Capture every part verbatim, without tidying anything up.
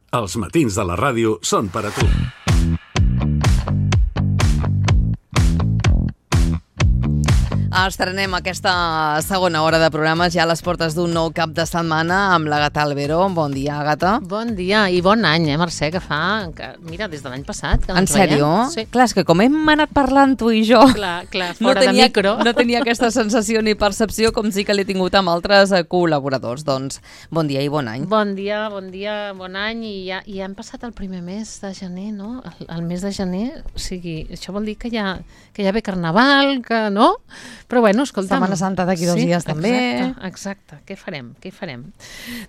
Els matins de la ràdio són per a tu. Estrenem aquesta segona hora de programes ja a les portes d'un nou cap de setmana amb l'Àgata Albero. Bon dia, Àgata. Bon dia i bon any, eh, Mercè, que fa... Que, mira, des de l'any passat que no en ens veiem. sèrio? Sí. Clar, és que com hem anat parlant tu i jo... Clar, clar, no fora tenia, de micro. No tenia aquesta sensació ni percepció com sí que l'he tingut amb altres eh, col·laboradors. Doncs bon dia i bon any. Bon dia, bon dia, bon any. I ja, i ja hem passat el primer mes de gener, no? El, el mes de gener, o sigui, això vol dir que ja, que ja ve Carnaval, que no? Però bueno, escolta'm... Setmana Santa d'aquí dos sí, dies també. Exacte, exacte. Què farem? Què farem?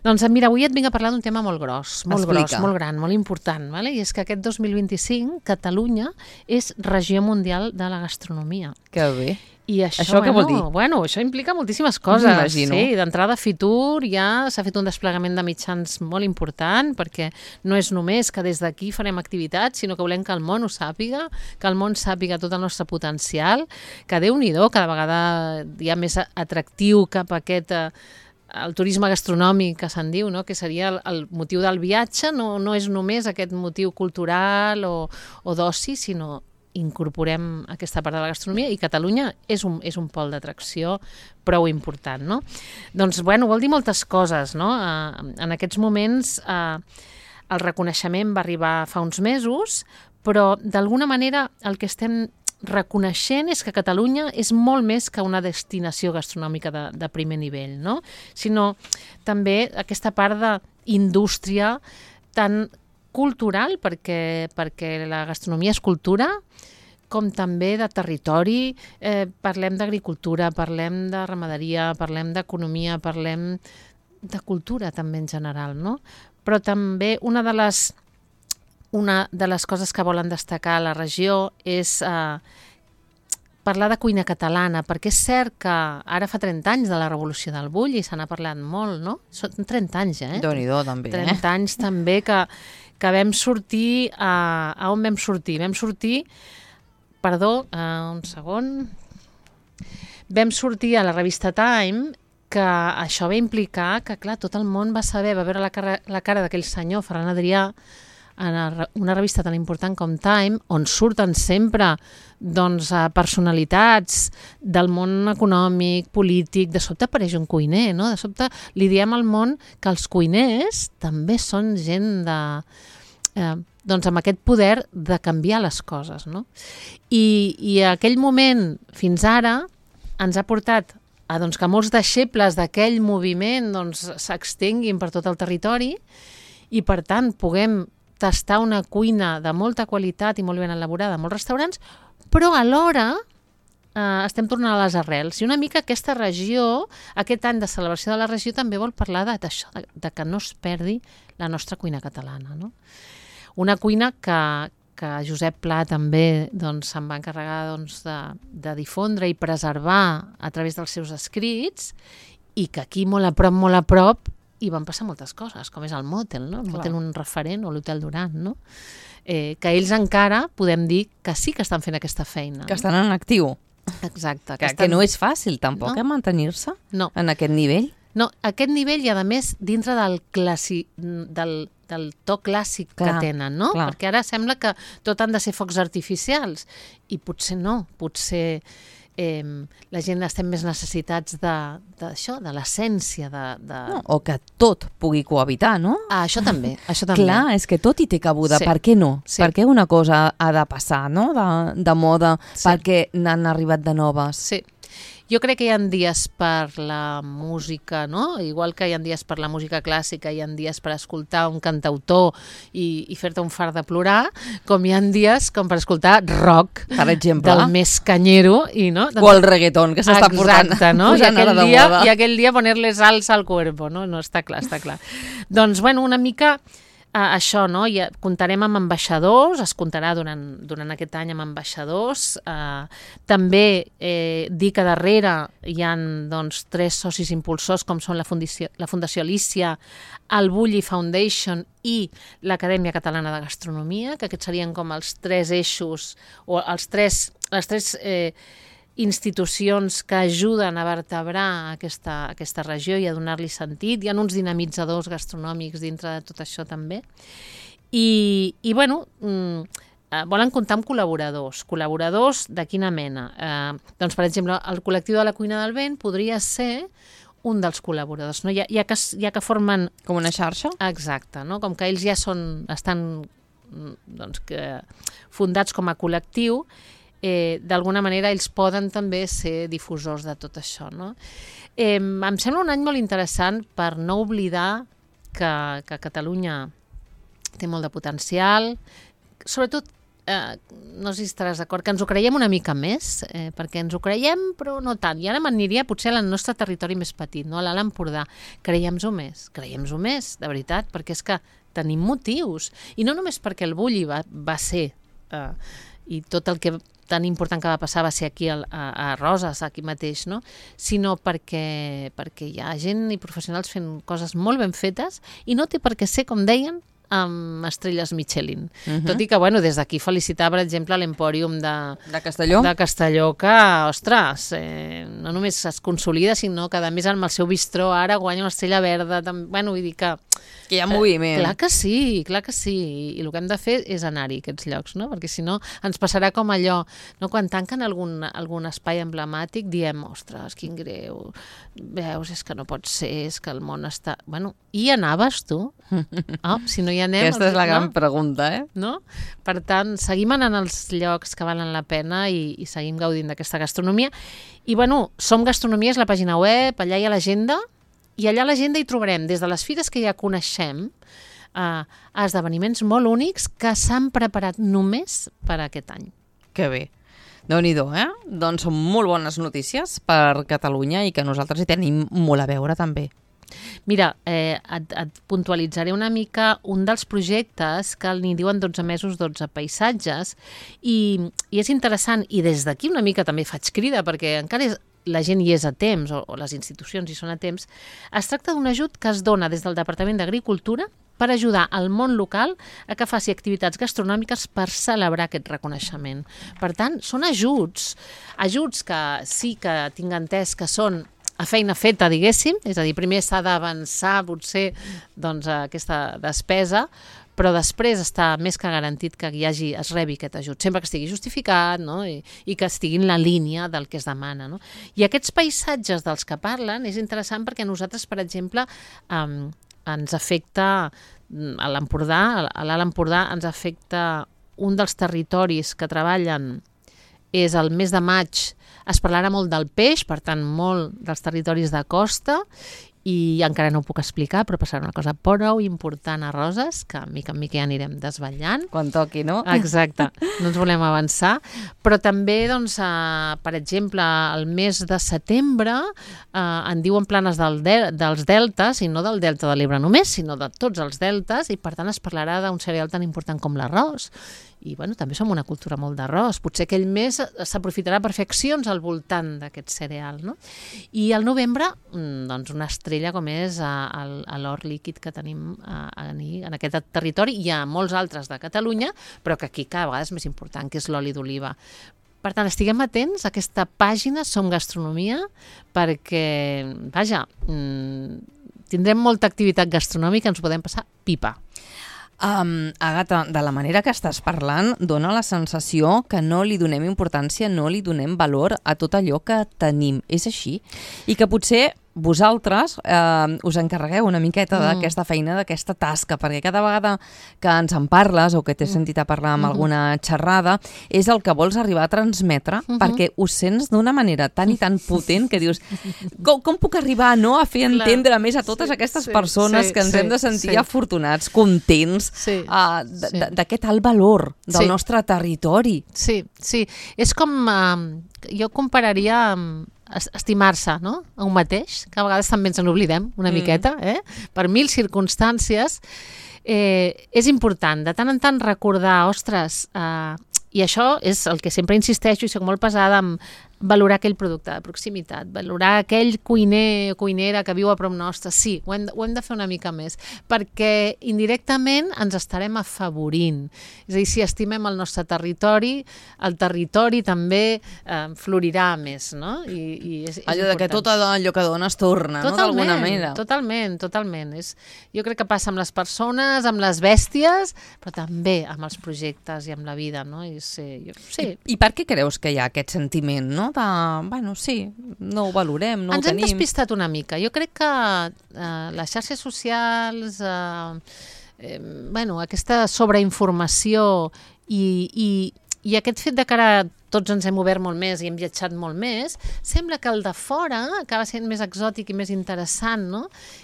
Doncs mira, avui et vinc a parlar d'un tema molt gros, molt Explica. gros, molt gran, molt important, vale? I és que aquest dos mil vint-i-cinc Catalunya és regió mundial de la gastronomia. Que bé. I això, Això què bueno, vol dir? Bueno, això implica moltíssimes coses. M'imagino. Sí, d'entrada Fitur ja s'ha fet un desplegament de mitjans molt important perquè no és només que des d'aquí farem activitats, sinó que volem que el món ho sàpiga, que el món sàpiga tot el nostre potencial, que Déu-n'hi-do, cada vegada hi ha més atractiu cap a aquest... Eh, el turisme gastronòmic que se'n diu, no? Que seria el, el motiu del viatge, no, no és només aquest motiu cultural o, o d'oci, sinó incorporem aquesta part de la gastronomia i Catalunya és un, és un pol d'atracció prou important, no? Doncs, bueno, vol dir moltes coses, no? Uh, en aquests moments uh, el reconeixement va arribar fa uns mesos, però d'alguna manera el que estem reconeixent és que Catalunya és molt més que una destinació gastronòmica de, de primer nivell, no? Sinó també aquesta part d'indústria tan cultural, perquè, perquè la gastronomia és cultura, com també de territori, eh, parlem d'agricultura, parlem de ramaderia, parlem d'economia, parlem de cultura també en general, no? Però també una de les, una de les coses que volen destacar a la regió és eh, parlar de cuina catalana, perquè és cert que ara fa trenta anys de la Revolució del Bull i se n'ha parlat molt, no? Són trenta anys, eh? Déu-n'hi-do, també. trenta anys també que, que vam sortir... A, a on vam sortir? Vam sortir... Perdó, uh, un segon. Vam sortir a la revista Time que això va implicar que, clar, tot el món va saber, va veure la cara, la cara d'aquell senyor, Ferran Adrià, en una revista tan important com Time, on surten sempre doncs, personalitats del món econòmic, polític, de sobte apareix un cuiner, no? De sobte li diem al món que els cuiners també són gent de... Eh, doncs amb aquest poder de canviar les coses, no? I, i aquell moment, fins ara, ens ha portat a doncs, que molts deixebles d'aquell moviment doncs, s'extenguin per tot el territori i, per tant, puguem tastar una cuina de molta qualitat i molt ben elaborada a molts restaurants, però alhora eh, estem tornant a les arrels. I una mica aquesta regió, aquest any de celebració de la regió, també vol parlar d'això, de, de que no es perdi la nostra cuina catalana, no? Una cuina que, que Josep Pla també doncs, se'n va encarregar doncs, de, de difondre i preservar a través dels seus escrits i que aquí molt a prop, molt a prop hi van passar moltes coses, com és el Motel, no? El Motel, un referent, o l'Hotel Duran, no? Eh, que ells encara podem dir que sí que estan fent aquesta feina. Que estan en actiu. Exacte. Que, estan... que no és fàcil tampoc, no. eh, mantenir-se no. en aquest nivell. No, aquest nivell i a més dintre del, classi... del, del to clàssic clar, que tenen, no? Clar. Perquè ara sembla que tot han de ser focs artificials i potser no, potser eh, la gent estem més necessitats d'això, de, de l'essència. De, de... No, o que tot pugui cohabitar, no? Ah, això també, això també. Clar, és que tot hi té cabuda, sí. Per què no? Sí. Per què una cosa ha de passar, no? De, de moda, sí. Perquè n'han arribat de noves. Sí. Jo crec que hi ha dies per la música, no? Igual que hi ha dies per la música clàssica, hi ha dies per escoltar un cantautor i, i fer-te un fart de plorar, com hi ha dies com per escoltar rock, per exemple, del més canyero. I, no? O el reggaeton, que s'està portant. Exacte, no? I aquell, de dia, moda. I aquell dia poner-les salsa al cuerpo, no? No, està clar, està clar. Doncs, bueno, una mica... Uh, això, no? I comptarem amb ambaixadors, es comptarà durant, durant aquest any amb ambaixadors. Uh, també eh, dir que darrere hi ha doncs, tres socis impulsors, com són la Fundació, la Fundació Alícia, el Bulli Foundation i l'Acadèmia Catalana de Gastronomia, que aquests serien com els tres eixos, o els tres, les tres... Eh, institucions que ajuden a vertebrar aquesta, aquesta regió i a donar-li sentit. Hi ha uns dinamitzadors gastronòmics dintre de tot això també. I, i bueno, mm, eh, volen comptar amb col·laboradors. Col·laboradors de quina mena? Eh, doncs, per exemple, el col·lectiu de la Cuina del Vent podria ser un dels col·laboradors, no? Ja, ja, que, ja que formen... Com una xarxa? Exacte, no? Com que ells ja són, estan doncs, que, fundats com a col·lectiu, eh, d'alguna manera ells poden també ser difusors de tot això, no? Eh, em sembla un any molt interessant per no oblidar que, que Catalunya té molt de potencial, sobretot, eh, no sé si estaràs d'acord, que ens ho creiem una mica més, eh, perquè ens ho creiem però no tant, i ara m'aniria potser al nostre territori més petit, no? A l'Alt Empordà, creiem-ho més, creiem-ho més, de veritat, perquè és que tenim motius, i no només perquè el Bulli va, va ser, eh, i tot el que tan important que va passar va ser aquí a, a Roses, aquí mateix, no? Sinó perquè, perquè hi ha gent i professionals fent coses molt ben fetes i no té per què ser, com deien, amb estrelles Michelin. Uh-huh. Tot i que, bueno, des d'aquí felicitar, per exemple, l'Empòrium de, de Castelló, de Castelló que, ostres, eh, no només es consolida, sinó que, a més, amb el seu bistró ara guanya una estrella verda. Tam... Bueno, vull dir que... Que hi ha moviment. Eh, clar que sí, clar que sí. I el que hem de fer és anar-hi a aquests llocs, no? Perquè si no ens passarà com allò, no? Quan tanquen algun, algun espai emblemàtic diem, ostres, quin greu, veus, és que no pot ser, és que el món està... Bueno, i anaves tu? Oh, si no hi anem... Aquesta és la gran no? pregunta, eh? No? Per tant, seguim anant als llocs que valen la pena i, i seguim gaudint d'aquesta gastronomia. I, bueno, Som Gastronomia és la pàgina web, allà hi ha l'agenda, i allà a l'agenda hi trobarem, des de les fires que ja coneixem, a, a esdeveniments molt únics que s'han preparat només per a aquest any. Que bé. Déu-n'hi-do, eh? Doncs són molt bones notícies per Catalunya i que nosaltres hi tenim molt a veure també. Mira, eh, et, et puntualitzaré una mica un dels projectes que n'hi diuen dotze mesos, dotze paisatges, i, i és interessant, i des d'aquí una mica també faig crida, perquè encara és, la gent hi és a temps, o, o les institucions hi són a temps. Es tracta d'un ajut que es dona des del Departament d'Agricultura per ajudar al món local a que faci activitats gastronòmiques per celebrar aquest reconeixement. Per tant, són ajuts, ajuts que sí que tinc entès que són a feina feta, diguéssim, és a dir, primer s'ha d'avançar potser doncs, aquesta despesa, però després està més que garantit que hi hagi, es rebi aquest ajut, sempre que estigui justificat, no? I, i que estigui en la línia del que es demana. No? I aquests paisatges dels que parlen és interessant perquè a nosaltres, per exemple, um, ens afecta, a l'Empordà, a l'Alt Empordà, ens afecta un dels territoris que treballen, és el mes de maig, es parlarà molt del peix, per tant, molt dels territoris de costa, i encara no ho puc explicar, però passarà una cosa prou important a Roses, que mica en mica ja anirem desvetllant. Quan toqui, no? Exacte, no ens volem avançar. Però també, doncs, eh, per exemple, el mes de setembre eh, en diuen planes del de dels deltes, i no del delta de l'Ebre només, sinó de tots els deltes, i per tant es parlarà d'un cereal tan important com l'arròs. I bueno, també som una cultura molt d'arròs. Potser aquell mes s'aprofitarà per fer accions al voltant d'aquest cereal, no? I al novembre, doncs una estrella com és a, a l'or líquid que tenim a, a, en aquest territori. Hi ha molts altres de Catalunya, però que aquí cada vegada és més important, que és l'oli d'oliva. Per tant, estiguem atents a aquesta pàgina Som Gastronomia, perquè, vaja, tindrem molta activitat gastronòmica, ens podem passar pipa. Um, Àgata, de la manera que estàs parlant, dona la sensació que no li donem importància, no li donem valor a tot allò que tenim. És així? I que potser vosaltres eh, us encarregueu una miqueta mm. d'aquesta feina, d'aquesta tasca, perquè cada vegada que ens en parles o que t'he sentit a parlar amb mm-hmm. alguna xerrada, és el que vols arribar a transmetre, mm-hmm. perquè ho sents d'una manera tan i tan potent que dius, com, com puc arribar no, a fer entendre Clar. més a totes sí, aquestes sí, persones sí, que ens sí, hem de sentir sí. afortunats, contents, sí, uh, d'aquest alt valor del sí. nostre territori. Sí, sí. És com, uh, jo compararia amb estimar-se, no? A un mateix, que a vegades també ens n'oblidem una mm. miqueta, eh? Per mil circumstàncies. Eh, és important de tant en tant recordar, ostres, eh, i això és el que sempre insisteixo i soc molt pesada amb valorar aquell producte de proximitat, valorar aquell cuiner o cuinera que viu a prop nostre. Sí, ho hem, de, ho hem de fer una mica més, perquè indirectament ens estarem afavorint. És a dir, si estimem el nostre territori, el territori també eh, florirà més, no? I, i és, és allò important. De que tot allò que dones torna, totalment, no? D'alguna manera. Totalment, totalment. És, jo crec que passa amb les persones, amb les bèsties, però també amb els projectes i amb la vida, no? I, sí, jo, sí. I, I per què creus que hi ha aquest sentiment, no? De, bueno, sí, no ho valorem, no Ens ho tenim. Ens hem despistat una mica. Jo crec que eh, les xarxes socials, eh, eh, bueno, aquesta sobreinformació i, i, i aquest fet de que ara tots ens hem obert molt més i hem viatjat molt més, sembla que el de fora acaba sent més exòtic i més interessant, no?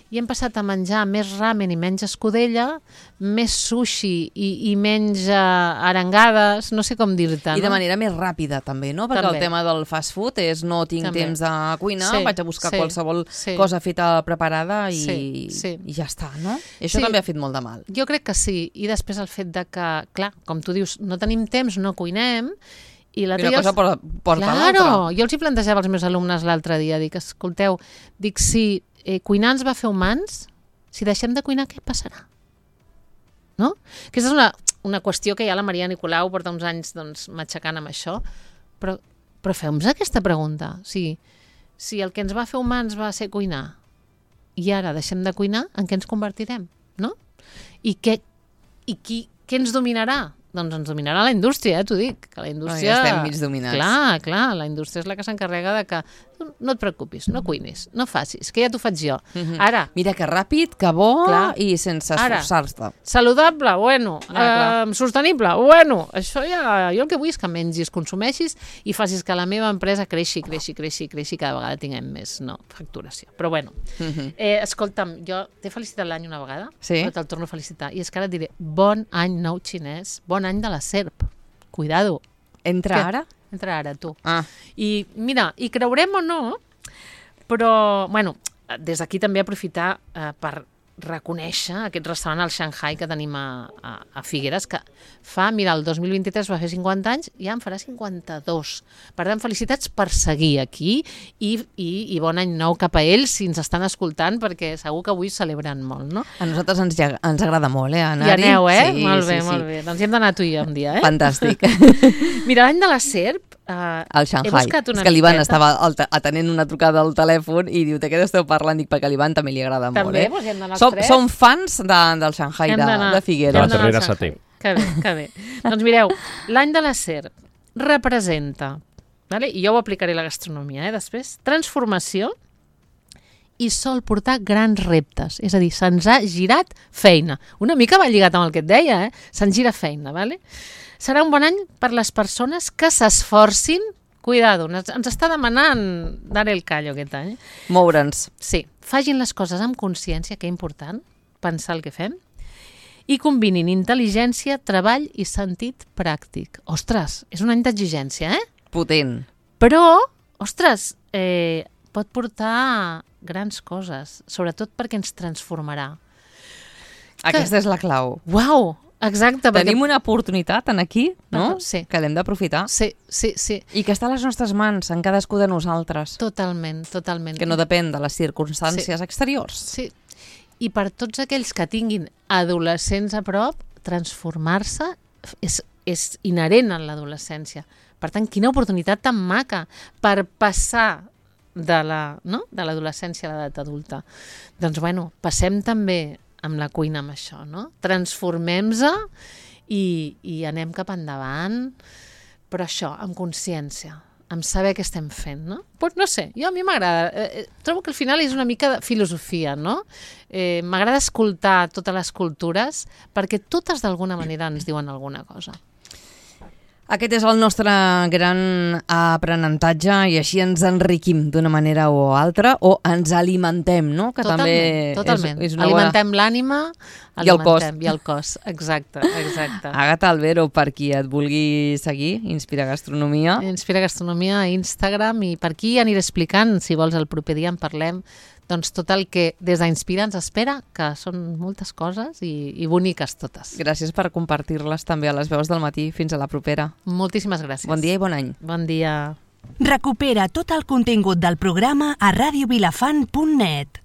I hem passat a menjar més ramen i menys escudella, més sushi i, i menys uh, arengades, no sé com dir-te, no? I de manera més ràpida, també, no? Perquè també. El tema del fast food és no tinc també. temps de cuinar, sí, vaig a buscar sí, qualsevol sí. cosa feta preparada i, sí, sí. i ja està, no? I això sí. també ha fet molt de mal. Jo crec que sí. I després el fet de que, clar, com tu dius, no tenim temps, no cuinem, i una cosa els... porta claro, l'altra. Jo els hi plantejava als meus alumnes l'altre dia, dic, escolteu, dic, si eh, cuinar ens va fer humans, si deixem de cuinar, què passarà? No? Aquesta és una, una qüestió que ja la Maria Nicolau porta uns anys doncs, matxacant amb això, però, però feu-nos aquesta pregunta. Si, si el que ens va fer humans va ser cuinar i ara deixem de cuinar, en què ens convertirem? No? I, què, i qui, què ens dominarà? Doncs ens dominarà la indústria, eh, t'ho dic. Que la indústria... Oh, ja estem mig dominats. Clar, clar, la indústria és la que s'encarrega de que no et preocupis, no cuinis, no facis, que ja t'ho faig jo. Mm-hmm. Ara... Mira que ràpid, que bo clar, i sense esforçar-te. Saludable, bueno. Ah, eh, sostenible, bueno. Això ja... Jo el que vull és que mengis, consumeixis i facis que la meva empresa creixi, creixi, creixi, creixi, cada vegada tinguem més, no, facturació. Però bueno, mm-hmm. eh, escolta'm, jo t'he felicitat l'any una vegada, sí? però te'l torno a felicitar. I és que ara et diré, bon any nou xinès, bon any de la serp. Cuidado. Entra Què? ara? Entra ara, tu. Ah. I mira, i creurem o no, però, bueno, des d'aquí també aprofitar eh, per reconèixer aquest restaurant al Shanghai que tenim a, a, a Figueres, que fa, mira, el dos mil vint-i-tres va fer cinquanta anys, ja en farà cinquanta-dos. Per tant, felicitats per seguir aquí i, i, i bon any nou cap a ells, si ens estan escoltant, perquè segur que avui celebren molt, no? A nosaltres ens, ens agrada molt, eh, anar-hi. I aneu, eh? Sí, molt bé, sí, molt sí. bé. Doncs hi hem d'anar tu i jo un dia, eh? Fantàstic. Mira, l'any de la serp, Uh, al Shanghai. És que l'Ivan estava atenent una trucada al telèfon i diu, de què esteu parlant? Dic, perquè a l'Ivan també li agrada també, molt. Eh? Doncs hi hem d'anar els som, tres. som fans de, del Shanghai, de, de Figueres. De la Terrera Setè. Que bé, que bé. Doncs mireu, l'any de la serp representa, vale? I jo ho aplicaré a la gastronomia, eh, després, transformació i sol portar grans reptes. És a dir, se'ns ha girat feina. Una mica va lligat amb el que et deia, eh? Se'ns gira feina, vale? Serà un bon any per les persones que s'esforcin. Cuidado, ens està demanant dar el callo aquest any. Moure'ns. Sí, facin les coses amb consciència, que és important, pensar el que fem, i combinin intel·ligència, treball i sentit pràctic. Ostres, és un any d'exigència, eh? Potent. Però, ostres, eh, pot portar grans coses, sobretot perquè ens transformarà. Aquesta que... és la clau. Uau! Exacte. Tenim perquè... una oportunitat en aquí, no? Sí. Que l'hem d'aprofitar. Sí, sí, sí. I que està a les nostres mans, en cadascú de nosaltres. Totalment, totalment. Que no depèn de les circumstàncies sí. exteriors. Sí. I per tots aquells que tinguin adolescents a prop, transformar-se és, és inherent en l'adolescència. Per tant, quina oportunitat tan maca per passar de la, no? de l'adolescència a l'edat adulta. Doncs, bueno, passem també amb la cuina amb això, no? Transformem-se i, i anem cap endavant, però això, amb consciència, amb saber què estem fent, no? Pues no sé, jo a mi m'agrada, eh, trobo que al final és una mica de filosofia, no? Eh, m'agrada escoltar totes les cultures perquè totes d'alguna manera ens diuen alguna cosa. Aquest és el nostre gran aprenentatge i així ens enriquim d'una manera o altra o ens alimentem, no? Que totalment, també totalment. És, és una alimentem bona... l'ànima i el cos. I el cos, exacte, exacte. Àgata Albero, per qui et vulgui seguir, Inspira Gastronomia. Inspira Gastronomia a Instagram i per aquí aniré explicant, si vols el proper dia en parlem, doncs tot el que des d'Inspira ens espera, que són moltes coses i, i boniques totes. Gràcies per compartir-les també a les veus del matí. Fins a la propera. Moltíssimes gràcies. Bon dia i bon any. Bon dia. Recupera tot el contingut del programa a radio vilafant punt net.